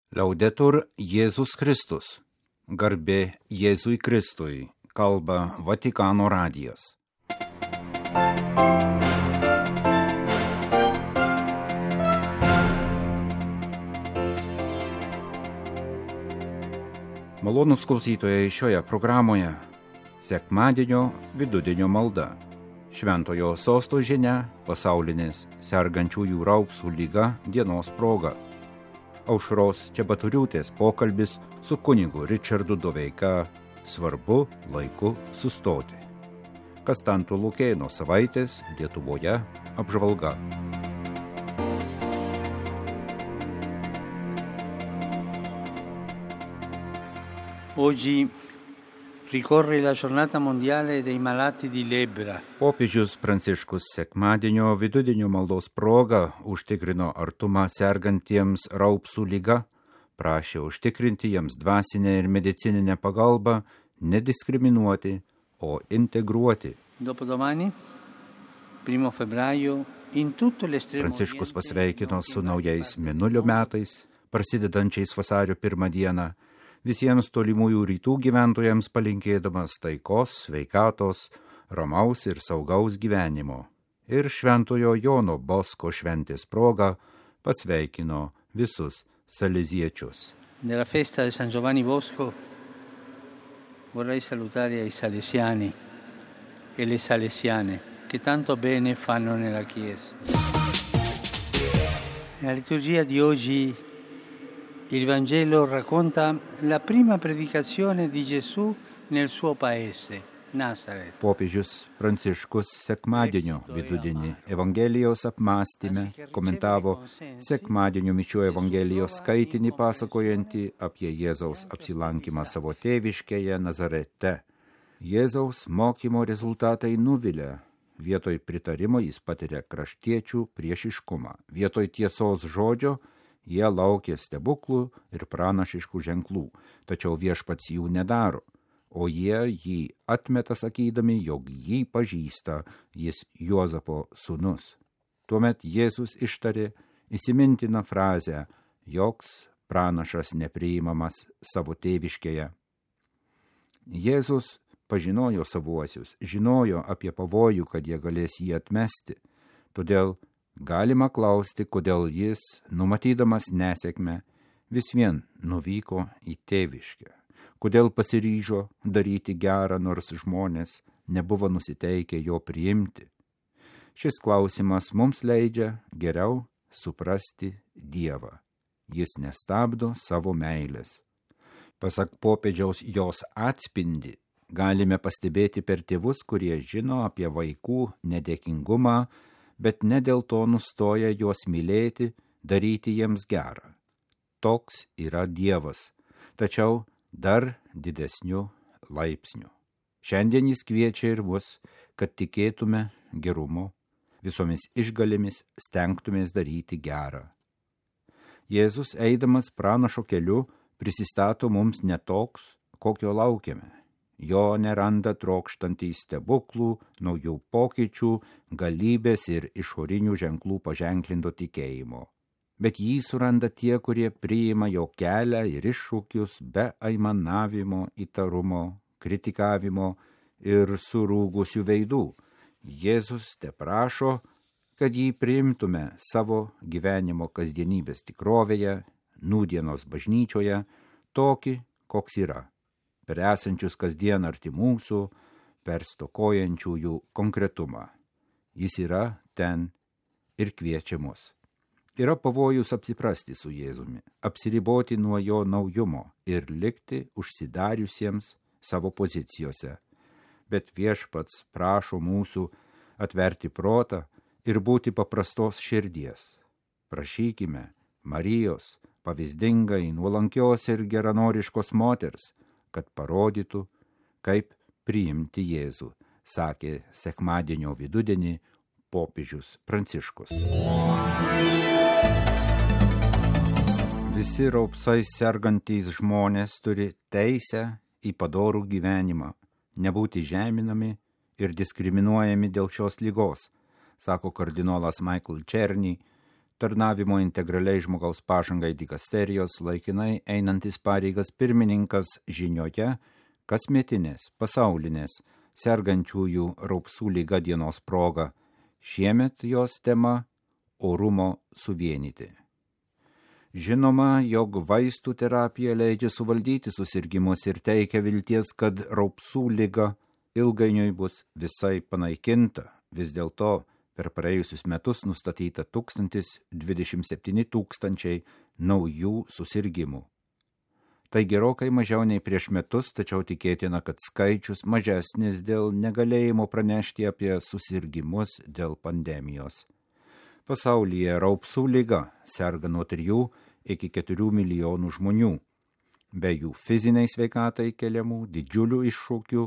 Laudetur Jėzus Kristus. Garbė Jėzui Kristui. Kalba Vatikano radijas. Malonūs klausytojai, šioje programoje sekmadienio vidudienio malda. Šventojo sosto žinia pasaulinės sergančiųjų raupsų lyga dienos proga. Aušros Čebaturiūtės pokalbis su kunigu Ričardu Doveika svarbu laiku sustoti. Kastanto Lukėno savaitės Lietuvoje apžvalga. Oggi ricorre la giornata mondiale dei malati di lebbra. Popiežius Pranciškus sekmadienio vidudienio maldos proga užtikrino artumą sergantiems raupsų lyga, prašė užtikrinti jiems dvasinę ir medicininę pagalbą, nediskriminuoti, o integruoti. Dopodomani, 1 febbraio, in tutto l'estremo Pranciškus pasveikino su naujais Mėnulio metais, prasidedančiais vasario 1 dieną, visiems tolimųjų rytų gyventojams palinkėdamas taikos, sveikatos, ramaus ir saugaus gyvenimo. Ir Šventojo Jono Bosko šventės proga pasveikino visus saleziečius. Nella festa di San Giovanni Bosco vorrei salutare i salesiani e le salesiane che tanto bene fanno nella Chiesa. Nella liturgia di oggi il Vangelo racconta la prima predicazione di Gesù nel suo paese, Nazaret. Popiežius Pranciškus sekmadienio vidudienį Evangelijos apmąstyme komentavo sekmadienio mišių Evangelijos skaitinį pasakojantį apie Jėzaus apsilankymą savo tėviškėje Nazarete. Jėzaus mokymo rezultatai nuvilia. Vietoj pritarimo jis patiria kraštiečių priešiškumą. Vietoj tiesos žodžio jie laukė stebuklų ir pranašiškų ženklų, tačiau viešpats jų nedaro, o jie jį atmeta sakydami, jog jį pažįsta, jis Juozapo sūnus. Tuomet Jėzus ištarė įsimintiną frazę, joks pranašas nepriimamas savo tėviškėje. Jėzus pažinojo savuosius, žinojo apie pavojų, kad jie galės jį atmesti, todėl galima klausti, kodėl jis, numatydamas nesėkmę, vis vien nuvyko į tėviškę. Kodėl pasiryžo daryti gerą, nors žmonės nebuvo nusiteikę jo priimti. Šis klausimas mums leidžia geriau suprasti Dievą. Jis nestabdo savo meilės. Pasak popiežiaus jos atspindį galime pastebėti per tėvus, kurie žino apie vaikų nedėkingumą, bet ne dėl to nustoja juos mylėti, daryti jiems gerą. Toks yra Dievas, tačiau dar didesniu laipsniu. Šiandien jis kviečia ir mus, kad tikėtume gerumu, visomis išgalėmis stengtumės daryti gerą. Jėzus, eidamas pranašo keliu, prisistato mums ne toks, kokio laukiame. Jo neranda trokštantys stebuklų, naujų pokyčių, galybės ir išorinių ženklų paženklinto tikėjimo. Bet jį suranda tie, kurie priima jo kelią ir iššūkius be aimanavimo, įtarumo, kritikavimo ir surūgusių veidų. Jėzus teprašo, kad jį priimtume savo gyvenimo kasdienybės tikrovėje, nūdienos bažnyčioje, tokį, koks yra. Per esančius kasdien arti mūsų, per stokojančiųjų konkretumą. Jis yra ten ir kviečia mus. Yra pavojus apsiprasti su Jėzumi, apsiriboti nuo jo naujumo ir likti užsidariusiems savo pozicijose. Bet viešpats prašo mūsų atverti protą ir būti paprastos širdies. Prašykime Marijos, pavyzdingai, nuolankios ir geranoriškos moters, kad parodytų, kaip priimti Jėzų, sakė sekmadienio vidudienį popiežius Pranciškus. Visi raupsais sergantys žmonės turi teisę į padorų gyvenimą, nebūti žeminami ir diskriminuojami dėl šios ligos, sako kardinolas Michael Černy, tarnavimo integraliai žmogaus pažangai dikasterijos laikinai einantis pareigas pirmininkas žinioje kasmetinės pasaulinės sergančiųjų raupsų liga dienos proga. Šiemet jos tema – orumo suvienyti. Žinoma, jog vaistų terapija leidžia suvaldyti susirgimus ir teikia vilties, kad raupsų liga ilgainiui bus visai panaikinta. Vis dėlto per praėjusius metus nustatyta 1027 000 naujų susirgimų. Tai gerokai mažiau nei prieš metus, tačiau tikėtina, kad skaičius mažesnis dėl negalėjimo pranešti apie susirgimus dėl pandemijos. Pasaulyje raupsų liga serga nuo 3 iki 4 milijonų žmonių. Be jų fiziniai sveikatai keliamų didžiulių iššūkių,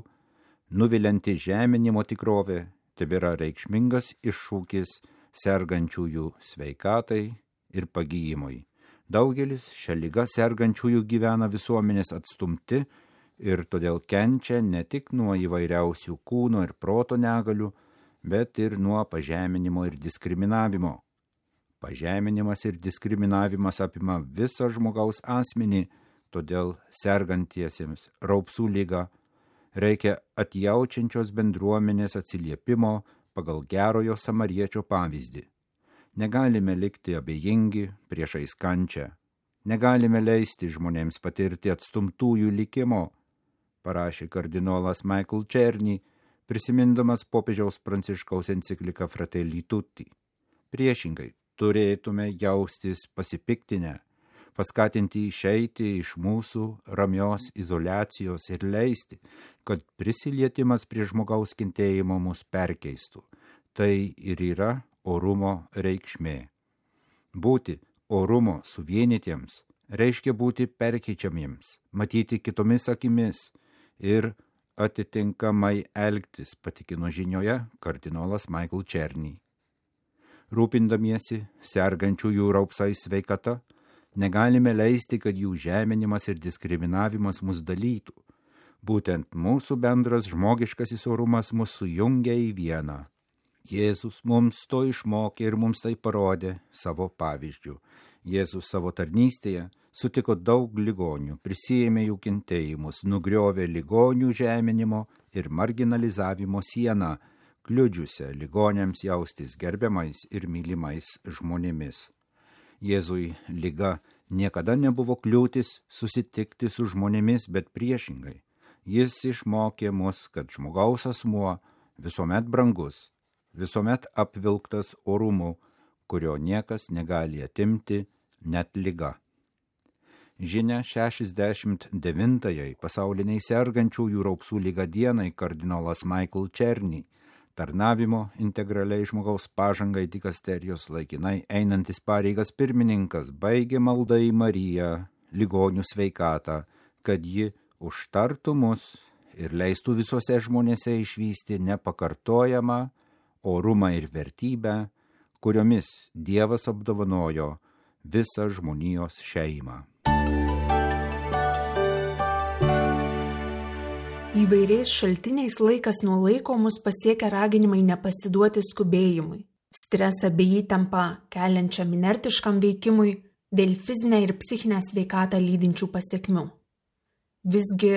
nuvilianti žeminimo tikrovė tebėra reikšmingas iššūkis sergančiųjų sveikatai ir pagijimui. Daugelis šią ligą sergančiųjų gyvena visuomenės atstumti ir todėl kenčia ne tik nuo įvairiausių kūno ir proto negalių, bet ir nuo pažeminimo ir diskriminavimo. Pažeminimas ir diskriminavimas apima visą žmogaus asmenį, todėl sergantiesiems raupsų liga reikia atjaučiančios bendruomenės atsiliepimo pagal gerojo samariečio pavyzdį. Negalime likti abejingi priešais kančią. Negalime leisti žmonėms patirti atstumtųjų likimo, parašė kardinolas Michael Czerny, prisimindamas popiežiaus Pranciškaus encikliką Fratelli Tutti. Priešingai, turėtume jaustis pasipiktinę, paskatinti išeiti iš mūsų ramios izoliacijos ir leisti, kad prisilietimas prie žmogaus kentėjimo mus perkeistų. Tai ir yra orumo reikšmė. Būti orumo suvienytiems reiškia būti perkeičiamiems, matyti kitomis akimis ir atitinkamai elgtis, patikino žinioje kardinolas Michael Czerny. Rūpindamiesi sergančiųjų raupsais sveikata, negalime leisti, kad jų žeminimas ir diskriminavimas mus dalytų. Būtent mūsų bendras žmogiškasis orumas mus sujungia į vieną. Jėzus mums to išmokė ir mums tai parodė savo pavyzdžių. Jėzus savo tarnystėje sutiko daug ligonių, prisiėmė jų kentėjimus, nugriovė ligonių žeminimo ir marginalizavimo sieną, kliudžiusią ligoniams jaustis gerbiamais ir mylimais žmonėmis. Jėzui liga niekada nebuvo kliūtis susitikti su žmonėmis, bet priešingai. Jis išmokė mus, kad žmogaus asmuo visuomet brangus, visuomet apvilktas orumu, kurio niekas negali atimti, net liga. Žinia 69-ąjai pasauliniai sergančiųjų raupsų liga dienai kardinolas Michael Czerny, tarnavimo integraliai žmogaus pažangai dikasterijos laikinai einantis pareigas pirmininkas, baigė maldą į Mariją, ligonių sveikatą, kad ji užtartų mus ir leistų visuose žmonėse išvysti nepakartojamą orumą ir vertybę, kuriomis Dievas apdovanojo visą žmonijos šeimą. Įvairiais šaltiniais laikas nuo laiko mus pasiekia raginimai nepasiduoti skubėjimui, stresą bei įtampą keliančiam inertiškam veikimui dėl fizinę ir psichinę sveikatą lydinčių pasekmių. Visgi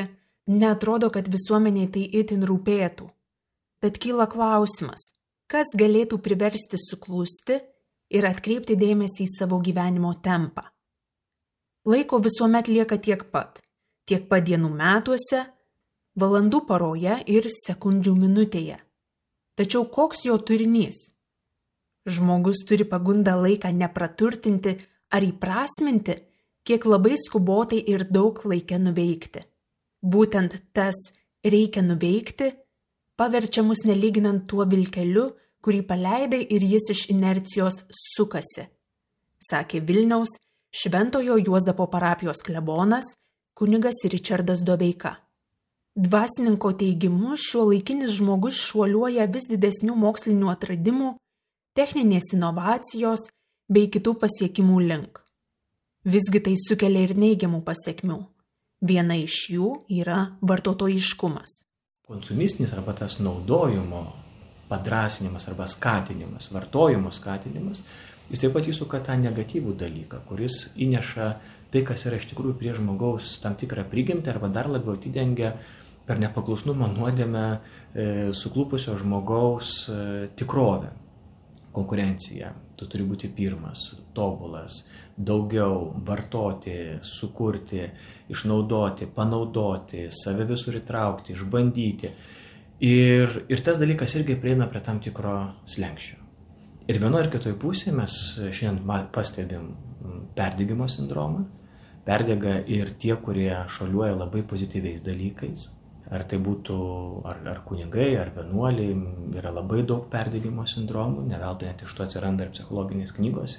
neatrodo, kad visuomeniai tai itin rūpėtų. Bet kyla klausimas, kas galėtų priversti suklusti ir atkreipti dėmesį į savo gyvenimo tempą. Laiko visuomet lieka tiek pat dienų metuose, valandų paroje ir sekundžių minutėje. Tačiau koks jo turinys? Žmogus turi pagundą laiką nepraturtinti ar įprasminti, kiek labai skubotai ir daug laike nuveikti. Būtent tas reikia nuveikti paverčia mus nelyginant tuo vilkeliu, kurį paleidai ir jis iš inercijos sukasi, sakė Vilniaus Šventojo Juozapo parapijos klebonas kunigas Ričardas Doveika. Dvasininko teigimu, šiuolaikinis žmogus šuoliuoja vis didesnių mokslinių atradimų, techninės inovacijos bei kitų pasiekimų link. Visgi tai sukelia ir neigiamų pasekmių. Viena iš jų yra vartotojiškumas. Konsumistinis arba tas naudojimo padrąsinimas arba skatinimas, vartojimo skatinimas jis taip pat įsuka tą negatyvų dalyką, kuris įneša tai, kas yra iš tikrųjų prie žmogaus tam tikrą prigimtį arba dar labiau atidengia per nepaklusnumą nuodėmę suklupusio žmogaus tikrovę. Konkurencija. Tu turi būti pirmas, tobulas, daugiau vartoti, sukurti, išnaudoti, panaudoti, save visur įtraukti, išbandyti. Ir tas dalykas irgi prieina prie tam tikro slenksčio. Ir vienoje ir kitoje pusėje mes šiandien pastebim perdegimo sindromą. Perdega ir tie, kurie šuoliuoja labai pozityviais dalykais. Ar tai būtų ar kunigai, ar vienuoliai, yra labai daug perdegimo sindromų, ne veltui net iš to atsiranda ir psichologinės knygos,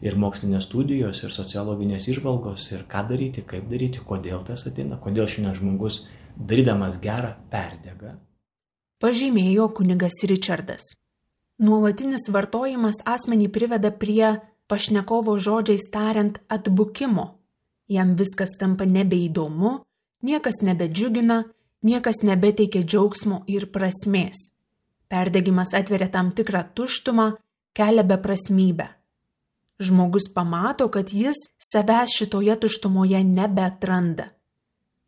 ir mokslinės studijos, ir sociologinės įžvalgos, ir ką daryti, kaip daryti, kodėl tas ateina, kodėl šiandien žmogus darydamas gerą perdega. Pažymėjo kunigas Ričardas. Nuolatinis vartojimas asmenį priveda prie pašnekovo žodžiais tariant atbukimo. Jam viskas tampa nebeįdomu, niekas nebedžiugina, niekas nebeteikia džiaugsmo ir prasmės. Perdegimas atveria tam tikrą tuštumą, kelia beprasmybę. Žmogus pamato, kad jis savęs šitoje tuštumoje nebeatranda.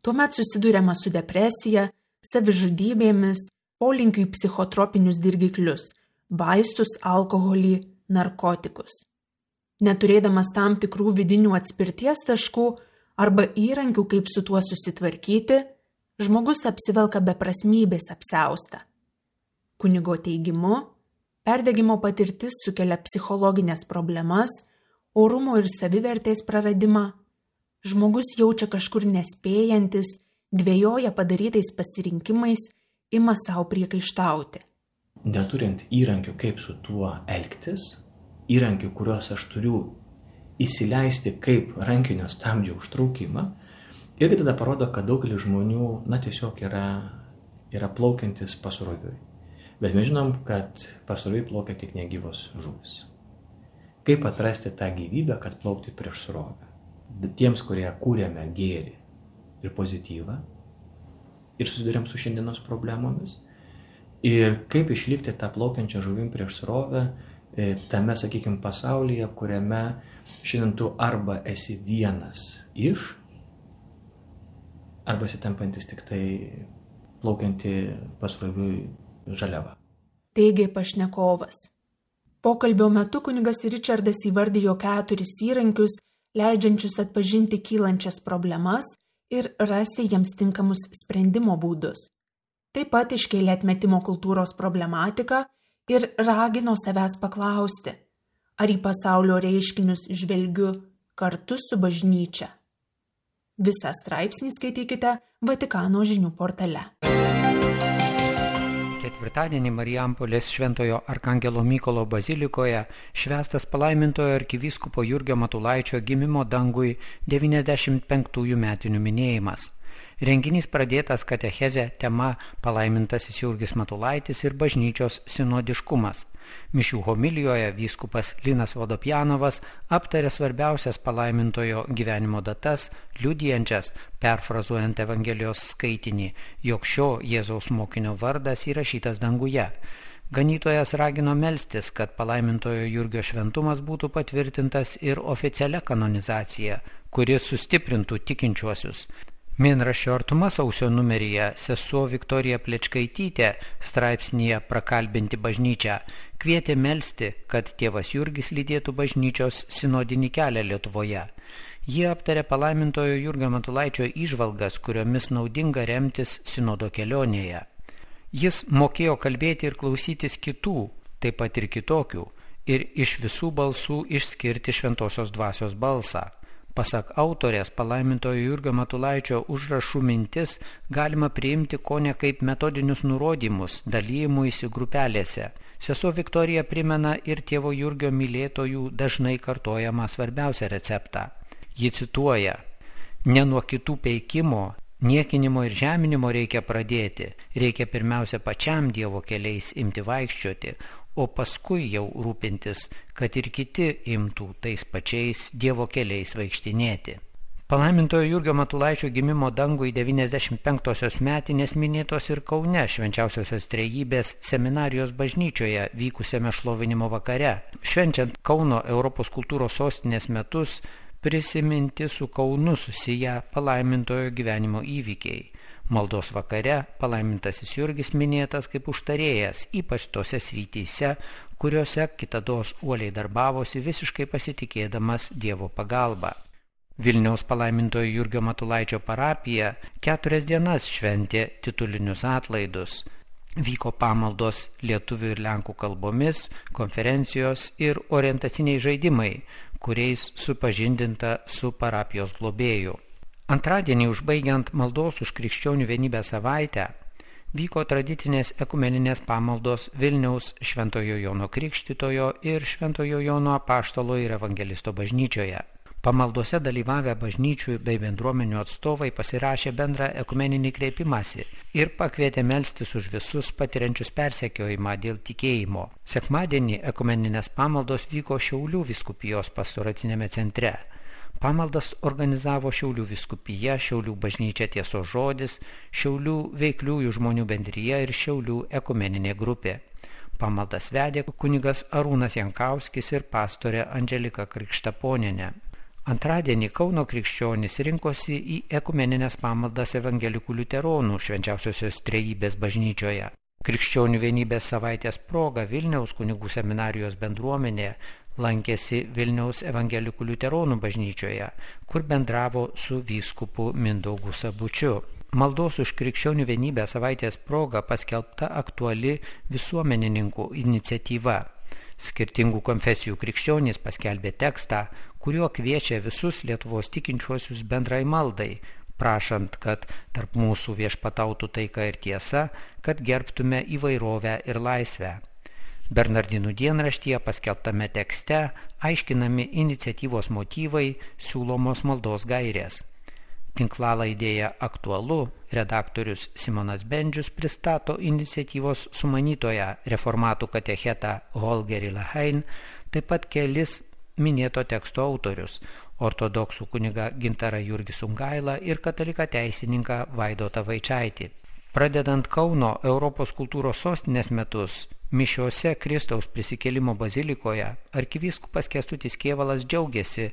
Tuomet susiduriama su depresija, savižudybėmis, polinkiu į psichotropinius dirgiklius, vaistus, alkoholį, narkotikus. Neturėdamas tam tikrų vidinių atspirties taškų arba įrankių, kaip su tuo susitvarkyti, žmogus apsivelka beprasmybės apsiaustą. Kunigo teigimu, perdegimo patirtis sukelia psichologinės problemas, orumo ir savivertės praradimą. Žmogus jaučia kažkur nespėjantis, dvejoja padarytais pasirinkimais, ima savo priekaištauti. Neturint įrankių, kaip su tuo elgtis, įrankių, kuriuos aš turiu įsileisti kaip rankinio stabdžio užtraukimą, irgi tada parodo, kad daugelis žmonių, tiesiog yra plaukiantis pasroviui. Bet mes žinom, kad pasroviui plaukia tik negyvos žuvys. Kaip atrasti tą gyvybę, kad plaukti prieš srovę? Tiems, kurie kūrėme gėrį ir pozityvą ir susidurėm su šiandienos problemomis. Ir kaip išlikti tą plaukiančią žuvim prieš srovę tame, sakykime, pasaulyje, kuriame šiandien tu arba esi vienas iš, arba esi tampantis tik tai plaukianti pasroviui žaliava. Teigė pašnekovas. Pokalbio metu kunigas Ričardas įvardijo 4 įrankius, leidžiančius atpažinti kylančias problemas ir rasti jiems tinkamus sprendimo būdus. Taip pat iškėlė atmetimo kultūros problematiką ir ragino savęs paklausti, ar į pasaulio reiškinius žvelgiu kartu su bažnyčia. Visą straipsnį skaitykite Vatikano žinių portale. Ketvirtadienį Marijampolės Šventojo Arkangelo Mykolo bazilikoje švęstas palaimintojo arkivyskupo Jurgio Matulaičio gimimo dangui 95 metinių minėjimas. Renginys pradėtas katecheze tema Palaimintasis Jurgis Matulaitis ir bažnyčios sinodiškumas. Mišių homilijoje vyskupas Linas Vodopjanovas aptarė svarbiausias palaimintojo gyvenimo datas, liudijančias, perfrazuojant Evangelijos skaitinį, jog šio Jėzaus mokinio vardas įrašytas danguje. Ganytojas ragino melstis, kad palaimintojo Jurgio šventumas būtų patvirtintas ir oficialia kanonizacija, kuri sustiprintų tikinčiuosius. Mėnraščio Artuma sausio numeryje sesuo Viktorija Plečkaitytė straipsnyje Prakalbinti bažnyčią kvietė melsti, kad tėvas Jurgis lydėtų bažnyčios sinodinį kelią Lietuvoje. Jie aptarė palaimintojo Jurgio Matulaičio įžvalgas, kuriomis naudinga remtis sinodo kelionėje. Jis mokėjo kalbėti ir klausytis kitų, taip pat ir kitokių, ir iš visų balsų išskirti šventosios dvasios balsą. Pasak autorės, palaimintojo Jurgio Matulaičio užrašų mintis galima priimti kone kaip metodinius nurodymus dalyjimuisi grupelėse. Sesuo Viktorija primena ir tėvo Jurgio mylėtojų dažnai kartojamą svarbiausią receptą. Ji cituoja: ne nuo kitų peikimo, niekinimo ir žeminimo reikia pradėti, reikia pirmiausia pačiam Dievo keliais imti vaikščioti, o paskui jau rūpintis, kad ir kiti imtų tais pačiais Dievo keliais vaikštinėti. Palaimintojo Jurgio Matulaičio gimimo dangui 95-osios metinės minėtos ir Kaune Švenčiausiosios Trejybės seminarijos bažnyčioje vykusiame šlovinimo vakare. Švenčiant Kauno Europos kultūros sostinės metus, prisiminti su Kaunu susiję palaimintojo gyvenimo įvykiai. Maldos vakare palaimintasis Jurgis minėtas kaip užtarėjas, ypač tose srityse, kuriuose kitados uoliai darbavosi visiškai pasitikėdamas Dievo pagalba. Vilniaus palaimintojo Jurgio Matulaičio parapija 4 dienas šventė titulinius atlaidus. Vyko pamaldos lietuvių ir lenkų kalbomis, konferencijos ir orientaciniai žaidimai, kuriais supažindinta su parapijos globėju. Antradienį užbaigiant maldos už krikščionių vienybę savaitę, vyko tradicinės ekumeninės pamaldos Vilniaus Šventojo Jono Krikštytojo ir Šventojo Jono Apaštalo ir Evangelisto bažnyčioje. Pamaldose dalyvavę bažnyčių bei bendruomenių atstovai pasirašė bendrą ekumeninį kreipimąsi ir pakvietė melstis už visus patiriančius persekiojimą dėl tikėjimo. Sekmadienį ekumeninės pamaldos vyko Šiaulių vyskupijos pastoracinėme centre. Pamaldas organizavo Šiaulių vyskupija, Šiaulių bažnyčia Tiesos žodis, Šiaulių veikliųjų žmonių bendrija ir Šiaulių ekumeninė grupė. Pamaldas vedė kunigas Arūnas Jankauskis ir pastorė Andželika Krikštaponienė. Antradienį Kauno krikščionys rinkosi į ekumeninės pamaldas evangelikų liuteronų Švenčiausiosios Trejybės bažnyčioje. Krikščionių vienybės savaitės proga Vilniaus kunigų seminarijos bendruomenė lankėsi Vilniaus evangelikų liuteronų bažnyčioje, kur bendravo su vyskupu Mindaugu Sabučiu. Maldos už krikščionių vienybę savaitės proga paskelbta aktuali visuomenininkų iniciatyva. Skirtingų konfesijų krikščionys paskelbė tekstą, kuriuo kviečia visus Lietuvos tikinčiuosius bendrai maldai, prašant, kad tarp mūsų viešpatautų taika ir tiesa, kad gerbtume įvairovę ir laisvę. Bernardinų dienraštyje paskelbtame tekste aiškinami iniciatyvos motyvai, siūlomos maldos gairės. Tinklalaidėje Aktualu redaktorius Simonas Bendžius pristato iniciatyvos sumanytoją reformatų katechetą Holgerį Lahain, taip pat kelis minėto teksto autorius – ortodoksų kunigą Gintarą Jurgį Sungailą ir kataliką teisininką Vaidotą Vaičaitį. Pradedant Kauno Europos kultūros sostinės metus, mišiose Kristaus prisikėlimo bazilikoje arkivyskupas Kęstutis Kėvalas džiaugiasi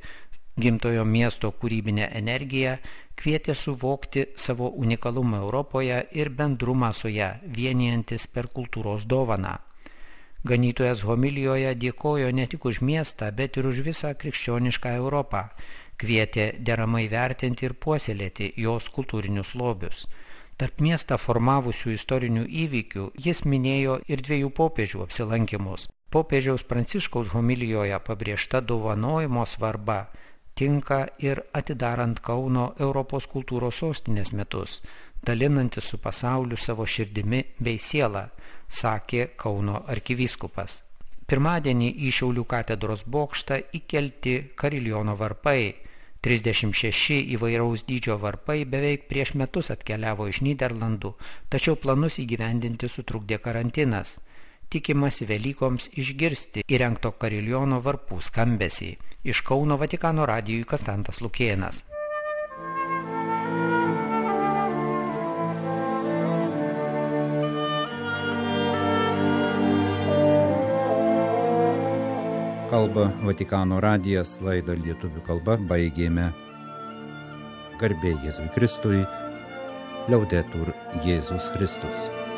gimtojo miesto kūrybinę energiją, kvietė suvokti savo unikalumą Europoje ir bendrumą su ją, vienijantis per kultūros dovaną. Ganytojas homilijoje dėkojo ne tik už miestą, bet ir už visą krikščionišką Europą, kvietė deramai vertinti ir puoselėti jos kultūrinius lobius. Tarp miestą formavusių istorinių įvykių jis minėjo ir 2 popiežių apsilankimus. Popiežiaus Pranciškaus homilijoje pabrėžta dovanojimo svarba tinka ir atidarant Kauno Europos kultūros sostinės metus, dalinantis su pasauliu savo širdimi bei sielą, sakė Kauno arkivyskupas. Pirmadienį į Šiaulių katedros bokštą įkelti kariljono varpai. 36 įvairaus dydžio varpai beveik prieš metus atkeliavo iš Nyderlandų, tačiau planus įgyvendinti sutrukdė karantinas. Tikimasi Velykoms išgirsti įrengto kariljono varpų skambesį. Iš Kauno Vatikano radijui Kastantas Lukėnas. Kalba Vatikano radijas, laidą lietuvių kalba baigėme. Garbė Jėzui Kristui, Liaudetur Jėzus Kristus.